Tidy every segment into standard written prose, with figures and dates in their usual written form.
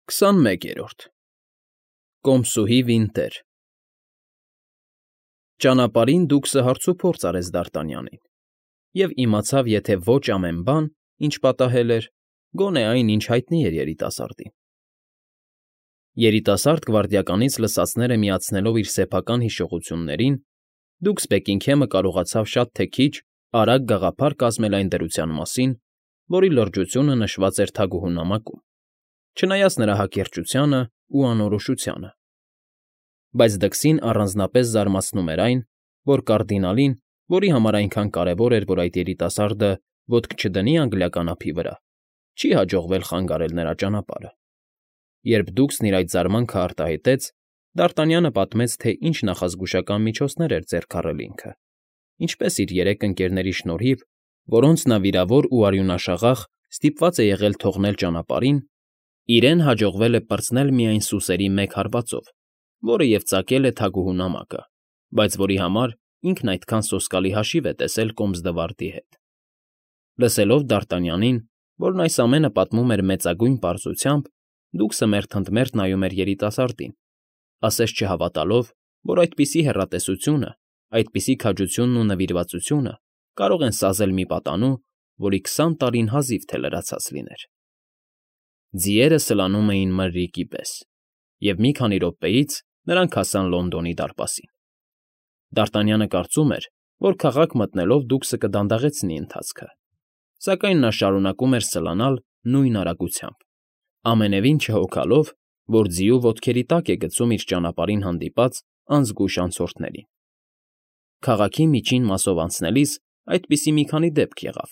21-րդ Կոմսուհի Վինտեր Ճանապարհին դուքսը հարցուփորձ արեց Դարտանյանին և իմացավ եթե ոչ ամեն բան, ինչ պատահել էր, գոնե այն, ինչ հայտնի էր երիտասարդին։ Երիտասարդ գվարդիականից լսածները միացնելով իր սեփական հիշողություններին, դուքս Բեքինգհեմը կարողացավ շատ թե քիչ արագ գաղափար կազմել այն դրության մասին, որի լրջությունը նշված էր թագուհու նամակում, չնայած նրա հակերճությանն ու անորոշությանը։ Բայց դքսին առանձնապես զարմացնում էր այն, որ կարդինալին, որի համար այնքան կարևոր էր, որ այդ երիտասարդը ոտք չդնի անգլիական ափի վրա, չի հաջողվել խանգարել նրա ճանապարհը։ Երբ դուքսն իր այդ զարմանքը արտահայտեց, Դարտանյանը պատմեց, թե ինչ նախազգուշական միջոցներ էր ձեռք առել ինքը, ինչպես իր երեք ընկերների շնորհիվ, որոնց նա վիրավոր ու արյունաշաղախ ստիպված է եղել թողնել ճանապարհին, իրեն հաջողվել է պրծնել միայն սուսերի մեկ հարվածով, որը և ծակել է թագուհու նամակը, բայց որի համար ինքն այդքան սոսկալի հաշիվ է տեսել Կոմսդվարդի հետ։ Լսելով Դարտանյանին, որն այս ամենը պատմում էր մեծագույն պարզությամբ, դուքսը մերթընդմերթ նայում էր երիտասարդին, ասես չհավատալով, որ այդպիսի հեռատեսությունը, այդպիսի քաջությունն ու նվիրվածությունը կարող են սազել մի պատանու, որի 20 տարին հազիվ թե լրացած լիներ։ Ձիերը սլանում էին մրրիկի պես, և մի քանի րոպեից նրանք հասան Լոնդոնի դարպասին։ Դարտանյանը կարծում էր, որ քաղաք մտնելով դուքսը կդանդաղեցնի ընթացքը, սակայն նա շարունակում էր սլանալ նույն արագությամբ, ամենևին չհոգալով, որ ձիու ոտքերի տակ է գցում իր ճանապարհին հանդիպած անզգույշ անցորդներին։ Քաղաքի միջին մասով անցնելիս այդպիսի մի քանի դեպք եղավ,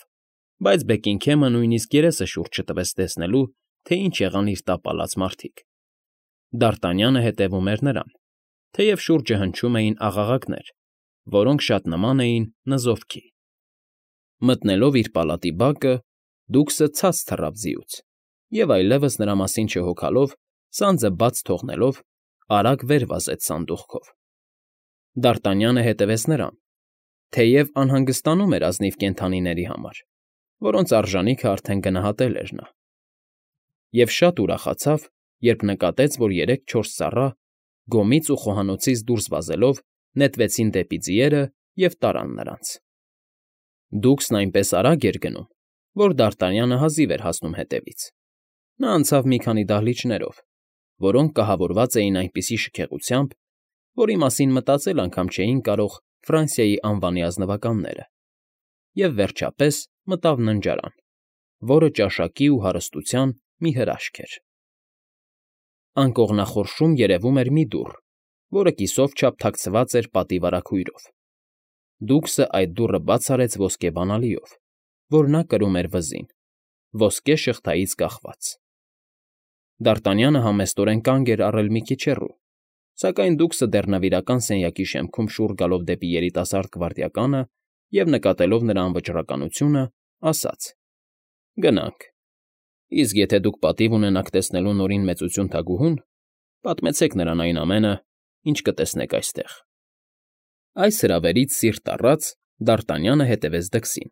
բայց Բեքինգհեմը նույնիսկ երեսը շուրջ չտվեց տեսնելու, թե ինչ եղան իր տապալած մարդիկ։ Դարտանյանը հետևում էր նրան, թեև շուրջը հնչում էին աղաղակներ, որոնք շատ նման էին նզովքի։ Մտնելով իր պալատի բակը, դուքսը ցած թռավ ձիուց և այլևս նրա մասին չհոգալով, սանձը բաց թողնելով, արագ վեր վազեց սանդուղքով։ Դարտանյանը հետևեց նրան, թեև անհանգստանում էր ազնիվ կենդանիների համար, որոնց արժանիքը արդեն գնահատել էր նա։ Եվ շատ ուրախացավ, երբ նկատեց, որ 3-4 ծառա, գոմից ու խոհանոցից դուրս վազելով, նետվեցին դեպի ձիերը և տարան նրանց։ Դուքսն այնպես արագ էր գնում, որ Դարտանյանը հազիվ էր հասնում հետևից։ Նա անցավ մի քանի դահլիճներով, որոնք կահավորված էին այնպիսի շքեղությամբ, որի մասին մտածել անգամ չէին կարող Ֆրանսիայի անվանի ազնվականները, և վերջապես մտավ ննջարան, որը ճաշակի ու հարստության մի հրաշք էր։ Անկողնախորշում երևում էր մի դուռ, որը կիսով չափ թաքցված էր պատի վարագույրով։ Դուքսը այդ դուռը բաց արեց ոսկե բանալիով, որ նա կրում էր վզին, ոսկե շղթայից կախված։ Դարտանյանը համեստորեն կանգ էր առել մի քիչ հեռու, սակայն դուքսը դեռ նվիրական սենյակի շեմքում շուռ գալով դեպի երիտասարդ գվարդիականը և նկատելով նրա անվճռականությունը, ասաց. «Գնանք, իսկ եթե դուք պատիվ ունենաք տեսնելու Նորին Մեծություն թագուհուն, պատմեցեք նրան այն ամենը, ինչ կտեսնեք այստեղ»։ Այս հրավերից սիրտ առած Դարտանյանը հետևեց դքսին,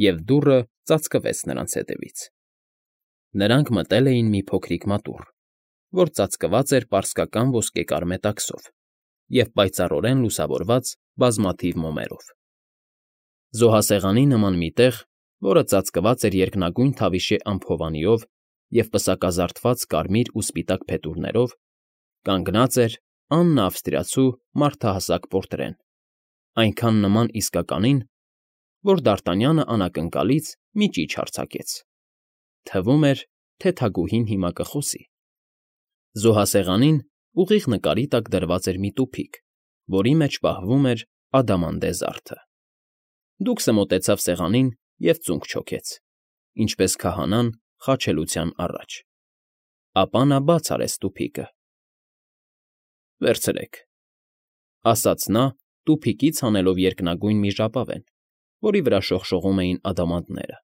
և դուռը ծածկվեց նրանց հետևից։ Նրանք մտել էին մի փոքրիկ մատուռ, որ ծածկված էր պարսկական ոսկեկար մետաքսով և պայծառորեն լուսավորված բազմաթիվ մոմերով։ Զոհասեղանի նման մի տեղ, որը ծածկված էր երկնագույն թավիշե ամփոփանիով և պսակազարդված կարմիր ու սպիտակ փետուրներով, կանգնած էր Աննա Ավստրիացու մարդահասակ պորտրեն, այնքան նման իսկականին, որ Դարտանյանը անակնկալից մի ճիչ արձակեց։ Թվում էր, թե թագուհին հիմա կխոսի։ Զոհասեղանին ուղիղ նկարի տակ դրված էր մի տուփիկ, որի մեջ պահվում էր ադամանդե զարդը։ Դուքսը մոտեցավ սեղանին և ծունկ չոքեց, ինչպես քահանան խաչելության առաջ։ Ապա նա բաց արեց տուփիկը։ «Վերցրեք», ֊ ասաց նա, տուփիկից հանելով երկնագույն մի ժապավեն, որի վրա շողշողում էին ադամանդները։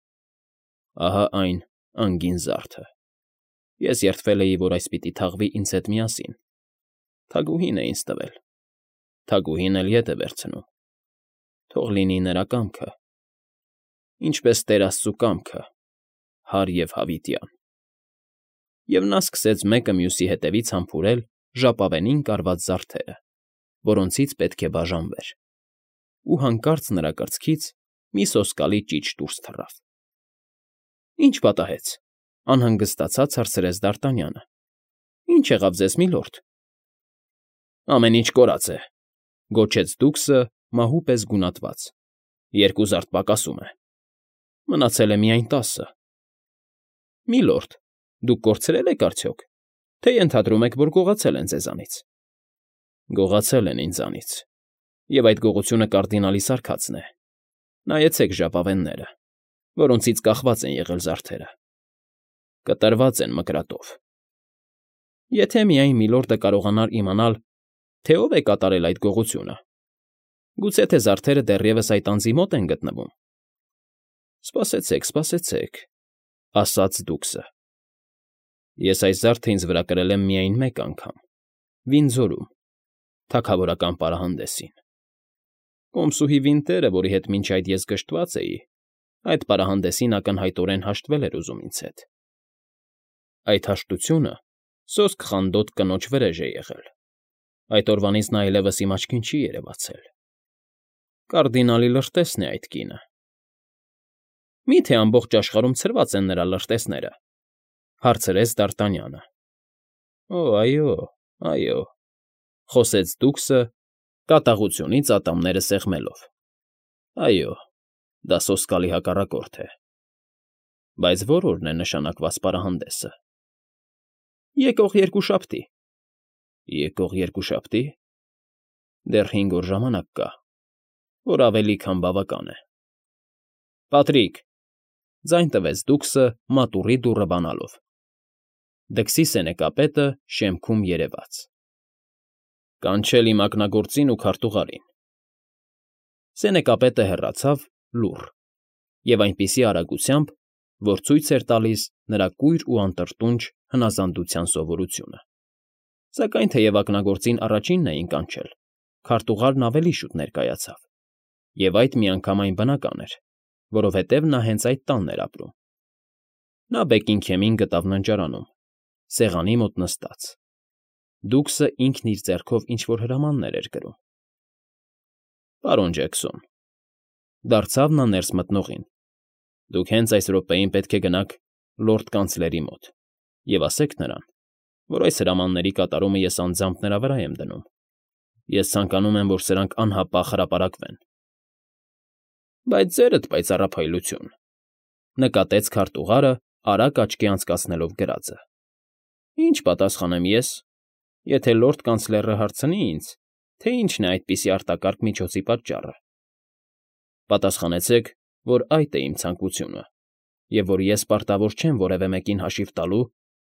«Ահա այն անգին զարդը։ Ես երդվել էի, որ այս պիտի թաղվի ինձ հետ միասին։ Թագուհին է ինձ տվել, թագուհին էլ ետ է վերցնում։ Թող լինի նրա կամքը, ինչպես Տեր Աստծու կամքը, հարև հավիտյան»։ և նա սկսեց մեկը մյուսի հետևից համբուրել ժապավենին կարված զարդերը, որոնցից պետք է բաժանվեր, ու հանկարծ նրա կրծքից մի սոսկալի ճիչ դուրս թռավ։ ֊ Ի՞նչ պատահեց,֊ անհանգստացած հարցրեց Դ'Արտանյանը։ ֊ Ի՞նչ եղավ ձեզ, միլորդ։ ֊ Ամեն ինչ կորած է,֊ գոչեց դուքսը մահու պես գունատված։֊ 2 զարդ պակասում է։ Մնացել է միայն 10։ ֊ Միլորդ, դուք կորցրե՞լ եք արդյոք, թե ենթադրում եք, որ գողացել են ձեզանից։ ֊ Գողացել են ինձանից, և այդ գողությունը կարդինալի սարքածն է։ Նայեցեք ժապավենները, որոնցից կախված են եղել զարդերը. կտրված են մկրատով։ Եթե միայն միլորդը կարողանար իմանալ, թե ով է կատարել այդ գողությունը, գուցե թե զարդերը դեռևս այդ անձի մոտ են գտնվում։ ֊ Սպասեցեք, սպասեցեք,֊ ասաց դուքսը։ Ես այս զարդը ինձ վրա կրել եմ միայն մեկ անգամ՝ Վինձորում, թագավորական պարահանդեսին։ Կոմսուհի Վինտերը, որի հետ մինչ այդ ես գժտված էի, այդ պարահանդեսին ակնհայտորեն հաշտվել էր ուզում ինձ հետ։ Այդ հաշտությունը սոսկ խանդոտ կնոջ վրեժ է եղել։ Այդ օրվանից նա այլևս իմ աչքին չի երևացել։ Կարդինալի լրտեսն է այդ կինը։ ֊ Մի՞թե ամբողջ աշխարհում ցրված են նրա լրտեսները,֊ հարցրեց Դ'Արտանյանը։ ֊ Օ, այո, այո,֊ խոսեց դուքսը, կատաղությունից ատամները սեղմելով։ ֊ Այո, դա սոսկալի հակառակորդ է։ Բայց ո՞ր օրն է նշանակված պարահանդեսը։ ֊ Եկող երկուշաբթի։ ֊ Եկող երկուշաբթի։ Դեռ 5 օր ժամանակ կա, որ ավելի քան բավական է։ ֊ Պատրիկ,֊ ձայն տվեց դուքսը մատուռի դուռը բանալով։ Դքսի սենեկապետը շեմքում երևաց։ Կանչել իմ ակնագործին ու քարտուղարին։ Սենեկապետը հեռացավ լուռ և այնպիսի արագությամբ, որ ցույց էր տալիս նրա կույր ու անտրտունջ հնազանդության սովորությունը։ Սակայն թեև ակնագործին առաջինն էին կանչել, քարտուղարն ավելի շուտ ներկայացավ, և այդ միանգամայն բնական էր, որովհետև նա հենց այդ տանն էր ապրում։ Նա Բեքինգհեմին գտավ ննջարանում, սեղանի մոտ նստած։ Դուքսը ինքն իր ձեռքով ինչ֊որ հրամաններ էր գրում։ ֊ Պարոն Ջեքսոն,֊ դարձավ նա ներս մտնողին,֊ դուք հենց այս րոպեին պետք է գնաք լորդ կանցլերի մոտ և ասեք նրան, որ այս հրամանների կատարումը ես անձամբ նրա վրա եմ դնում։ Ես ցանկանում եմ, որ սրանք անհապաղ հրապարակվեն։ ֊ Բայց ձերդ պայծառափայլություն,֊ նկատեց քարտուղարը, արագ աչքի անցկացնելով գրածը։ ֊ Ինչ պատասխանեմ ես, եթե լորդ կանցլերը հարցնի ինձ, թե ինչն է այդպիսի արտակարգ միջոցի պատճառը։ Պատասխանեցեք, որ այդ է իմ ցանկությունը, և որ ես պարտավոր չեմ որևէ մեկին հաշիվ տալու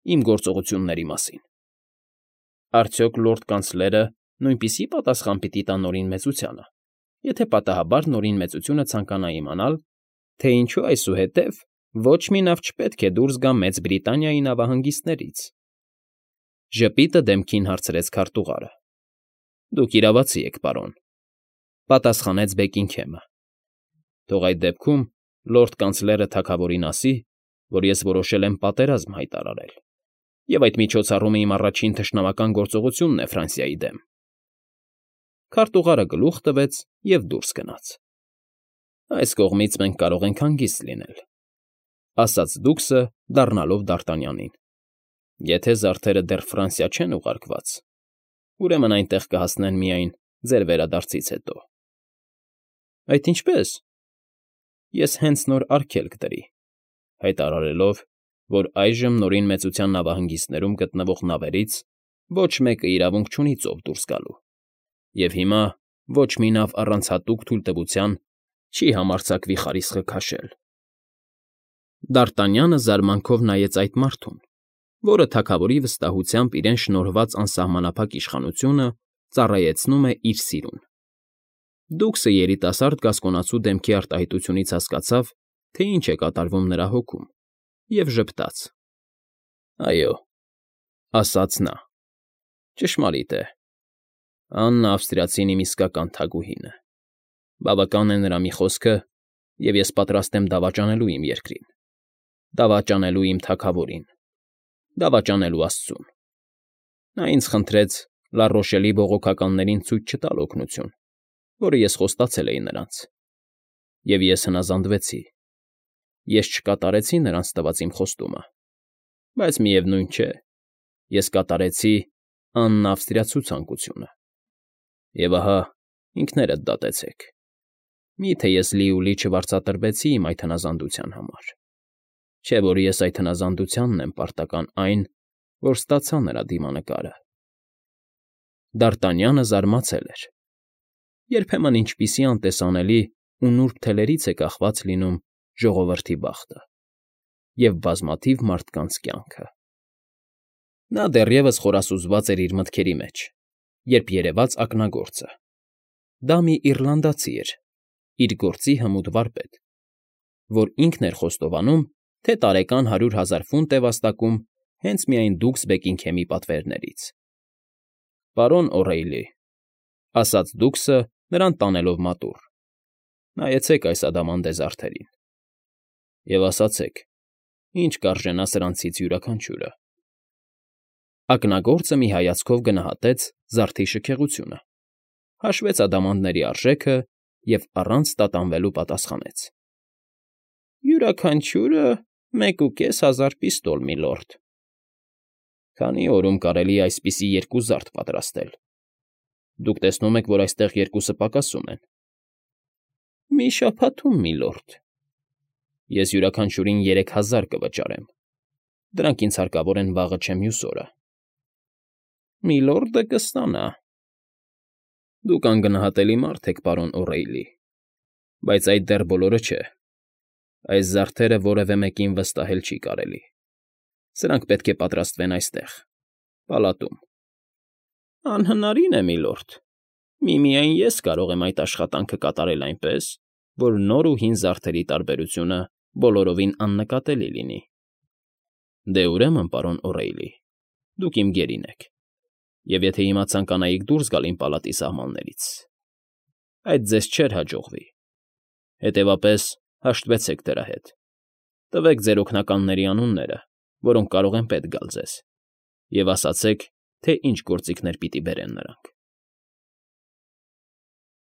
իմ գործողությունների մասին։ Արդյոք լորդ կանցլերը նույնպիսի պատասխան պիտի տա Նորին Մեծությանը, եթե պատահաբար Նորին Մեծությունը ցանկանա իմանալ, թե ինչու այսուհետև ոչ մի նավ չպետք է դուրս գա Մեծ Բրիտանիայի նավահանգիստներից։ Ժպիտը դեմքին հարցրեց քարտուղարը։ ֊ Դուք իրավացի եք, պարոն,֊ պատասխանեց Բեքինգհեմը։ Թող այդ դեպքում լորդ կանցլերը թագավորին ասի, որ ես որոշել եմ պատերազմ հայտարարել, և այդ միջոցառումը իմ առաջին թշնամական գործողությունն է Ֆրանսիայի դեմ։ Քարտուղարը գլուխ տվեց և դուրս գնաց։ ֊ Այս կողմից մենք կարող ենք հանգիստ լինել,֊ ասաց դուքսը, դառնալով Դ'Արտանյանին։ Եթե զարդերը դեռ Ֆրանսիա չեն ուղարկված, ուրեմն այնտեղ կհասնեն միայն ձեր վերադարձից հետո։ ֊ Այդ ինչպե՞ս։ ֊ Ես հենց նոր արգելք դրի, հայտարարելով, որ այժմ Նորին Մեծության նավահանգիստներում գտնվող նավերից ոչ մեկը իրավունք չունի ծով դուրս գալու, և հիմա ոչ մի նավ առանց հատուկ թույլտվության չի համարձակվի խարիսխը քաշել։ Դ'Արտանյանը զարմանքով նայեց այդ մարդուն, որը թագավորի վստահությամբ իրեն շնորհված անսահմանափակ իշխանությունը ծառայեցնում է իր սիրուն։ Դուքսը երիտասարդ գասկոնացու դեմքի արտահայտությունից հասկացավ, թե ինչ է կատարվում նրա հոգում, և ժպտաց։ ֊ Այո,֊ ասաց նա,֊ ճշմարիտ է։ Աննա ավստրիացին իմ իսկական թագուհին է։ Բավական է նրա մի խոսքը, և ես պատրաստ եմ դավաճանելու իմ երկրին, դավաճանելու իմ թագավորին։ դավաճանելու աստծուն։ Նա ինձ խնդրեց Լառոշելի բողոքականներին ցույց չտալ օգնություն, որը ես խոստացել էի նրանց։ Եվ ես հնազանդվեցի։ Ես չկատարեցի նրանց տված իմ խոստումը, բայց միևնույն չէ, ես կատարեցի աննավստրյացու ցանկությունը։ Եվ ահա, ինքներդ դատեցեք։ Մի՞թե ես լիուլի չվարձատրվեցի իմ այդ հնազանդության համար։ Չէ՞ որ ես այդ հնազանդությանն եմ պարտական այն, որ ստացա նրա դիմանկարը։ Դ'Արտանյանը զարմացել էր։ Երբեմն ինչպիսի անտեսանելի ու նուրբ թելերից է կախված լինում ժողովրդի բախտը և բազմաթիվ մարդկանց կյանքը։ Նա դեռևս խորասուզված էր իր մտքերի մեջ, երբ երևաց ակնագործը։ Դա մի իռլանդացի էր, իր գործի հմուտ վարպետ, որ ինքն էր խոստովանում, թե տարեկան 100,000 ֆունտ է վաստակում հենց միայն Դուքս Բեկինգհեմի պատվերներից։ «Պարոն Օ'Րեյլի,֊ ասաց Դուքսը, նրան տանելով մատուռ,֊ նայեցեք այս ադամանդե զարդերին և ասացեք, ինչ կարժենա սրանցից յուրաքանչյուրը»։ Ակնագործը մի հայացքով գնահատեց զարդի շքեղությունը, հաշվեց ադամանդների արժեքը և առանց տատանվելու պատասխանեց. «Յուրաքանչյուրը 1,500 պիստոլ, միլորդ»։ Քանի օրում կարելի է այսպիսի 2 զարդ պատրաստել։ Դուք տեսնում եք, որ այստեղ 2-ը պակասում են։ Մի շաբաթում, միլորդ։ Ես յուրաքանչյուրին 3,000 կվճարեմ։ Դրանք ինձ հարկավոր են վաղը չէ մյուս օրը։ Միլորդը կստանա։ Դուք անգնահատելի մարդ եք, պարոն Օ'Րեյլի, բայց այդ դեռ բոլորը չէ։ Այս զարդերը որևէ մեկին վստահել չի կարելի։ Սրանք պետք է պատրաստվեն այստեղ, պալատում։ Անհնարին է, միլորդ։ Միմիայն ես կարող եմ այդ աշխատանքը կատարել այնպես, որ նոր ու հին զարդերի տարբերությունը բոլորովին աննկատելի լինի։ Դե ուրեմն, պարոն Օ'Րեյլի, դուք իմ գերին եք, և եթե հիմա ցանկանայիք դուրս գալ իմ պալատի սահմաններից, այդ ձեզ չէր հաջողվի։ Հետևաբար հաշտվեցեք դրա հետ։ Տվեք ձեր օգնականների անունները, որոնք կարող են պետք գալ ձեզ, և ասացեք, թե ինչ գործիքներ պիտի բերեն նրանք։